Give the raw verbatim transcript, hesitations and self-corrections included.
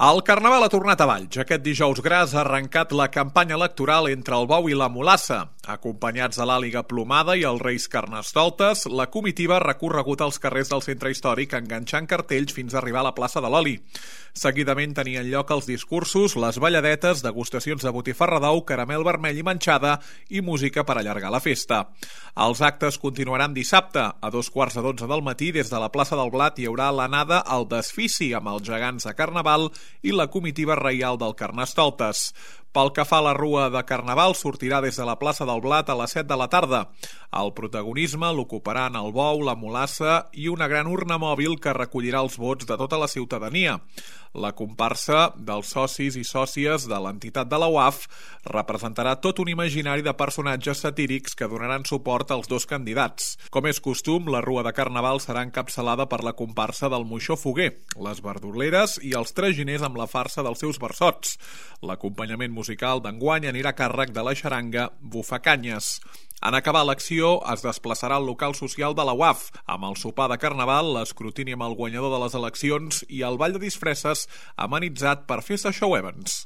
El Carnaval ha tornat a Valls. Aquest dijous gras ha arrencat la campanya electoral entre el bou i la mulassa. Acompanyats de l'àliga plomada i els Reis Carnestoltes, la comitiva ha recorregut els carrers del centre històric enganxant cartells fins a arribar a la plaça de l'Oli. Seguidament tenien lloc els discursos, les balladetes, degustacions de botifarra d'ou, caramel vermell i manxada i música per allargar la festa. Els actes continuaran dissabte. A dos quarts de dotze del matí, des de la plaça del Blat, hi haurà l'anada al desfici amb els gegants de Carnaval i la comitiva reial del Carnestoltes. Pel que fa a la rua de Carnaval, sortirà des de la plaça del Blat a les set de la tarda. El protagonisme l'ocuparan el bou, la mulassa i una gran urna mòbil que recollirà els vots de tota la ciutadania. La comparsa dels socis i sòcies de l'entitat de la U A F representarà tot un imaginari de personatges satírics que donaran suport als dos candidats. Com és costum, la rua de Carnaval serà encapçalada per la comparsa del Moixó Foguer, les verdoleres i els traginers amb la farsa dels seus versots. L'acompanyament musical d'enguany anirà a càrrec de la xaranga Bufacanyes. En acabar l'acció, es desplaçarà al local social de la U A F, amb el sopar de Carnaval, l'escrutini amb el guanyador de les eleccions i el ball de disfresses amenitzat per Festa Show Evans.